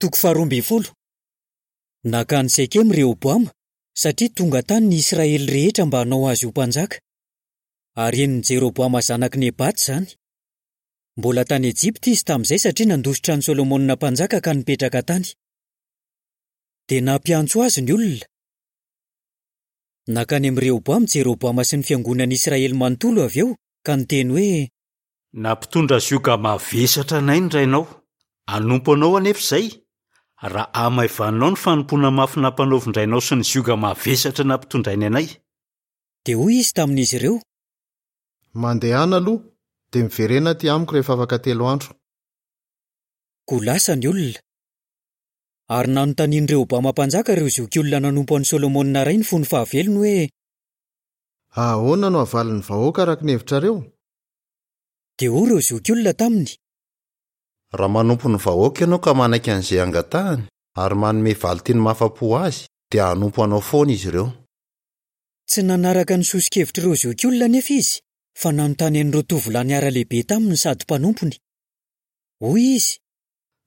Toko faharoa ambin'ny folo. Nankany Sekema Rehoboama, satria tonga tany ny Israely rehetra mba hanao azy ho mpanjaka. Ary henon'i Jeroboama zanak'i Nebata izany. Mbola tany Ejipta izy tamin'izay satria nandositra an'i Solomona mpanjaka ka nipetraka tany. Dia nampiantso azy ny olona. Nankany amin'i Rehoboama Jeroboama sy ny fiangonan'i Israely manontolo avy eo, ka niteny hoe. Nampitondra zioga mavesatra anay ny rainao. Hanompo anao anefa izay, raha hamaivaninao ny fanompoana mafy nampanaovin-drainao sy ny zioga mavesatra nampitondrainy anay. Dia hoy izy tamin'izy ireo. Mandehana aloha, dia miverena aty amiko rehefa afaka telo andro. Koa lasa ny olona. Ary nanontanian'i Rehoboama mpanjaka ireo zokiolona nanompo an'i Solomona rainy fony fahavelony hoe. Ahoana no havalin'ny vahoaka araka ny hevitrareo? Dia hoy ireo zokiolona taminy. Raha manompo ny vahoaka ianao ka manaiky an'izay angatahany ary manome valin-teny mahafa-po azy, dia hanompo anao foana izy ireo. Tsy nanaraka ny soso-kevitr'ireo zokiolona anefa izy, fa nanontany an'ireo tovolahy niara-lehibe taminy sady mpanompony. Hoy izy.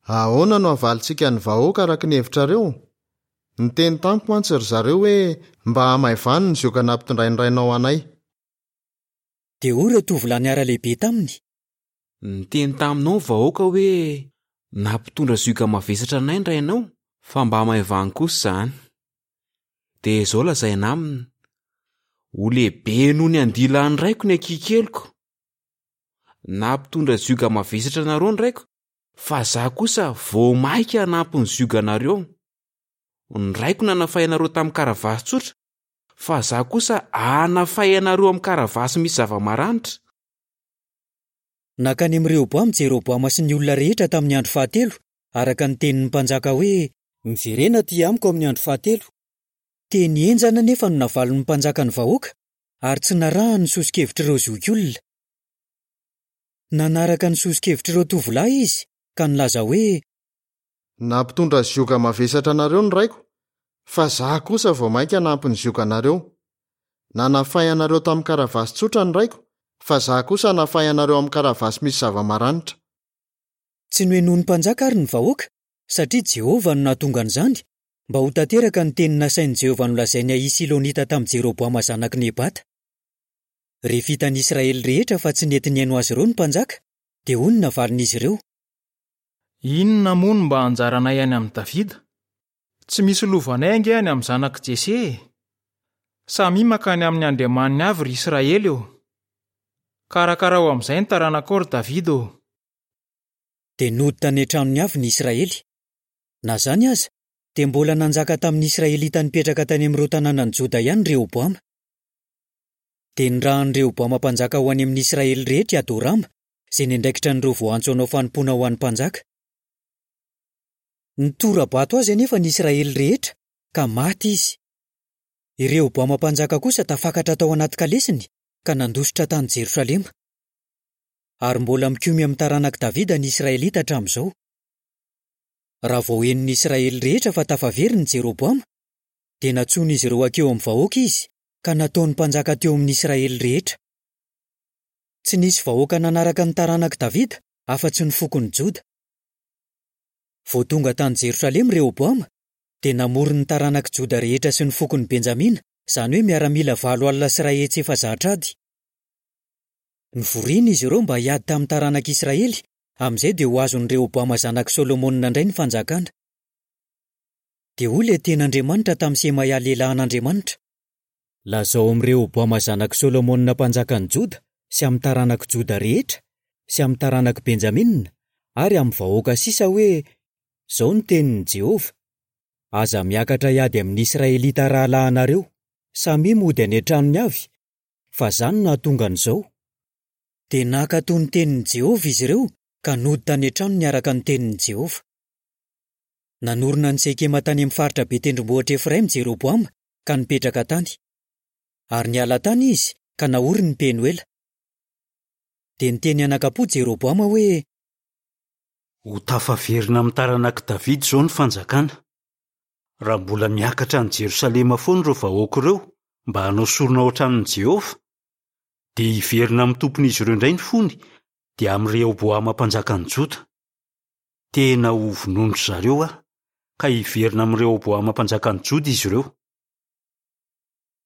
Ahoana no havalintsika ny vahoaka araka ny hevitrareo? Niteny tamiko mantsy ry zareo hoe, 'Mba hamaivano ny zioga nampitondrain'ny rainao anay. Dia hoy ireo tovolahy niara-lehibe taminy. Niteny taminao ny vahoaka hoe, 'Nampitondra zioga mavesatra anay ny rainao, fa mba hamaivano kosa izany. Dia izao lazaina aminy, 'Ho lehibe noho ny andilan'ny raiko ny ankihy-keliko. Nampitondra zioga mavesatra anareo ny raiko, fa izaho kosa vao mainka hanampy ny zioganareo. Ny raiko nanafay anareo tamin'ny karavasy tsotra, fa izaho kosa hanafay anareo amin'ny karavasy misy zava-maranitra. Nankany amin'i Rehoboama Jeroboama sy ny olona rehetra tamin'ny andro fahatelo, araka ny tenin'ny mpanjaka hoe, Miverena aty amiko amin'ny andro fahatelo. Teny henjana anefa no navalin'ny mpanjaka ny vahoaka, ary tsy narahany ny soso-kevitr'ireo zokiolona. Nanaraka ny soso-kevitr'ireo tovolahy izy, ka nilaza hoe. Nampitondra zioga mavesatra anareo ny raiko, fa izaho kosa vao mainka hanampy ny zioganareo. Nanafay anareo tamin'ny karavasy tsotra ny raiko, fa izaho kosa hanafay anareo amin'ny karavasy misy zava-maranitra. Tsy nohenoin'ny mpanjaka àry ny vahoaka, satria Jehovah no nahatonga an'izany, mba ho tanteraka ny teny nasain'i Jehovah nolazain'i Ahia Silonita tamin'i Jeroboama zanak'i Nebata. Rehefa hitan'ny Israely rehetra fa tsy nety nihaino azy ireo ny mpanjaka, dia hoy ny navalin'izy ireo. Inona moa no mba anjaranay any amin'i Davida? Tsy misy lovanay ange any amin'ny zanak'i Jese e! Samia mankany amin'ny andriamaniny avy ry Israely ô! Karakarao amin'izay ny taranakao ry Davida ô! Dia nody tany an-tranony avy ny Israely. Na izany aza, dia mbola nanjaka tamin'ny Israelita nipetraka tany amin'ireo tanànan'i Joda ihany Rehoboama. Dia nirahan'i Rehoboama mpanjaka ho any amin'ny Israely rehetra i Adorama, izay niandraikitra an'ireo voaantso hanao fanompoana ho an'ny mpanjaka. Nitora-bato azy anefa ny Israely rehetra, ka maty izy. I Rehoboama mpanjaka kosa tafakatra tao anaty kalesiny, ka nandositra tany Jerosalema. Ary mbola mikomy amin'ny taranak'i Davida ny Israelita hatramin'izao. Raha vao henon'ny Israely rehetra fa tafaverina i Jeroboama, dia nantsoin'izy ireo hankeo amin'ny vahoaka izy, ka nataony mpanjaka teo amin'ny Israely rehetra. Tsy nisy vahoaka nanaraka ny taranak'i Davida afa-tsy ny fokon'i Joda. Vao tonga tany Jerosalema i Rehoboama, dia namory ny taranak'i Joda rehetra sy ny fokon'i Benjamina, izany hoe miaramila 14 efa ady. Novorina izy ireo mba hiady tamin'ny taranak'i Israely, amin'izay dia ho azon'i Rehoboama zanak'i Solomona indray ny fanjakana. Dia hoy ilay tena Andriamanitra tamin'i Semaia lehilahin'Andriamanitra, Lazao amin'i Rehoboama zanak'i Solomona mpanjakan'i Joda sy amin'ny taranak'i Joda rehetra sy amin'ny taranak'i Benjamina ary amin'ny vahoaka sisa hoe, 'Izao no tenin'i Jehovah, Aza miakatra hiady amin'ny Israelita rahalahinareo. Samia mody any an-tranony avy, fa izaho no nahatonga an'izao. Dia nankatò ny tenin'i Jehovah izy ireo ka nody tany an-tranony araka ny tenin'i Jehovah. Nanorina an'i Sekema tany amin'ny faritra be tendrombohitr'i Efraima Jeroboama ka nipetraka tany. Ary niala tany izy ka naoriny ny Penoela. Dia niteny anakam-po Jeroboama hoe. Ho tafaverina amin'ny taranak'i Davida izao ny fanjakana, raha mbola miakatra any Jerosalema foana ireo vahoaka ireo mba hanao sorona ao an-tranon'i Jehovah. Dia hiverina amin'ny tompon'izy ireo indray ny fony, dia amin'i Rehoboama mpanjakan'i Joda. Tena hovonoin-dry zareo aho. ka hiverina amin'i Rehoboama mpanjakan'i Joda izy ireo.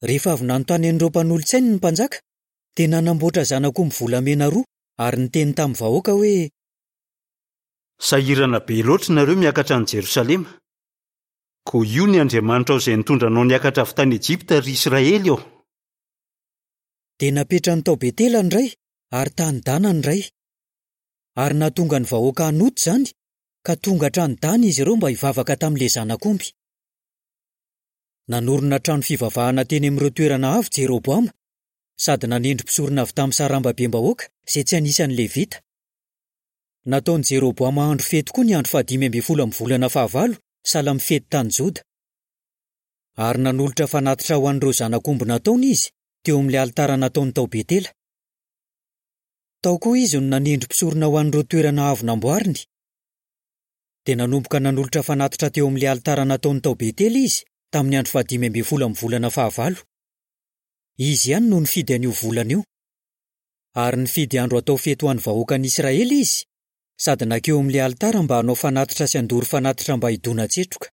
Rehefa avy nanontany an'ireo mpanolo-tsainy ny mpanjaka, dia nanamboatra zanak'omby volamena roa ary niteny tamin'ny vahoaka hoe. Sahirana be loatra ianareo miakatra any Jerosalema. Koa io ny Andriamanitrao izay nitondra anao niakatra avy tany Egypta, ry Israely ô! Dia napetrany tao Betela ny iray ary tany Dana ny iray. Ary nahatonga ny vahoaka hanota izany, ka tonga hatrany Dana izy ireo mba hivavaka tamin'ilay zanak'omby. Nanorina trano fivavahana teny amin'ireo toerana avo Jeroboama, sady nanendry mpisorona avy tamin'ny sarambabem-bahoaka izay tsy anisan'ny Levita. Nataon'i Jeroboama andro fety koa ny andro fahadimy ambin'ny folo amin'ny volana fahavalo, sahala amin'ny fety tany Joda. Ary nanolotra fanatitra ho an'ireo zanak'omby nataony izy, teo amin'ilay alitara nataony tao Betela. Tao koa izy no nanendry mpisorona ho an'ireo toerana avo namboariny. Dia nanomboka nanolotra fanatitra teo amin'ilay alitara nataony tao Betela izy, tamin'ny andro fahadimy ambin'ny folo amin'ny volana fahavalo. Izy ihany no nifidy an'io volana io. Ary nifidy andro hatao fety ho an'ny vahoakan'i Israely izy, sady nankeo amin'ilay alitara mba hanao fanatitra sy handoro fanatitra mba hidona-tsetroka.